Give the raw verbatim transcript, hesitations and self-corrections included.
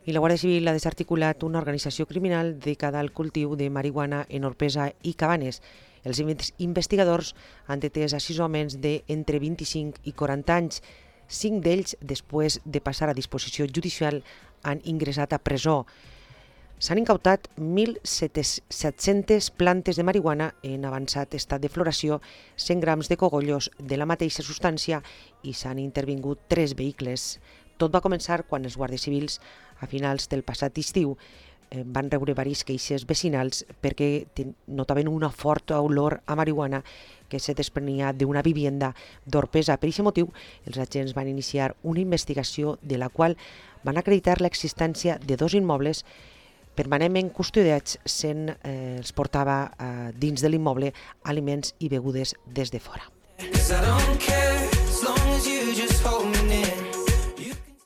I la Guàrdia Civil ha desarticulat una organització criminal dedicada al cultiu de marihuana en Orpesa i Cabanes. Els investigadors han detès a sis homes d'entre vint-i-cinc i quaranta anys. Cinc d'ells, després de passar a disposició judicial, han ingressat a presó. S'han incautat mil set-centes plantes de marihuana en avançat estat de floració, cent grams de cogollos de la mateixa substància i s'han intervingut tres vehicles. Tot va començar quan els guàrdies civils, a finals del passat estiu, van rebre diverses queixes vecinals perquè notaven una forta olor a marihuana que se desprenia d'una vivienda d'Orpesa. Per aquest motiu, els agents van iniciar una investigació de la qual van acreditar l'existència de dos immobles permanentment custodiats, sent eh, els portava eh, dins de l'immoble aliments i begudes des de fora.